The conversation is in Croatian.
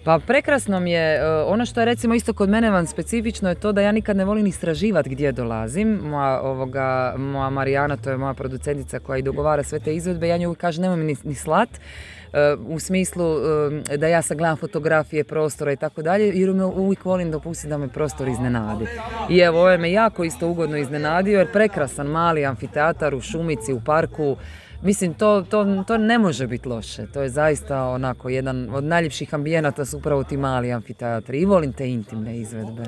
Pa prekrasno mi je, ono što je recimo isto kod mene van specifično je to da ja nikad ne volim istraživati gdje dolazim. Moja Marijana, to je moja producentica koja i dogovara sve te izvedbe, ja nju uvijek kažem nemoj mi ni slat, u smislu da ja sad gledam fotografije prostora i tako dalje, jer me uvijek volim dopustiti da me prostor iznenadi. I evo, ovo me jako isto ugodno iznenadio, jer prekrasan mali amfiteatar u šumici, u parku. Mislim, to ne može biti loše. To je zaista onako jedan od najljepših ambijenata su upravo ti mali amfiteatri. I volim te intimne izvedbe.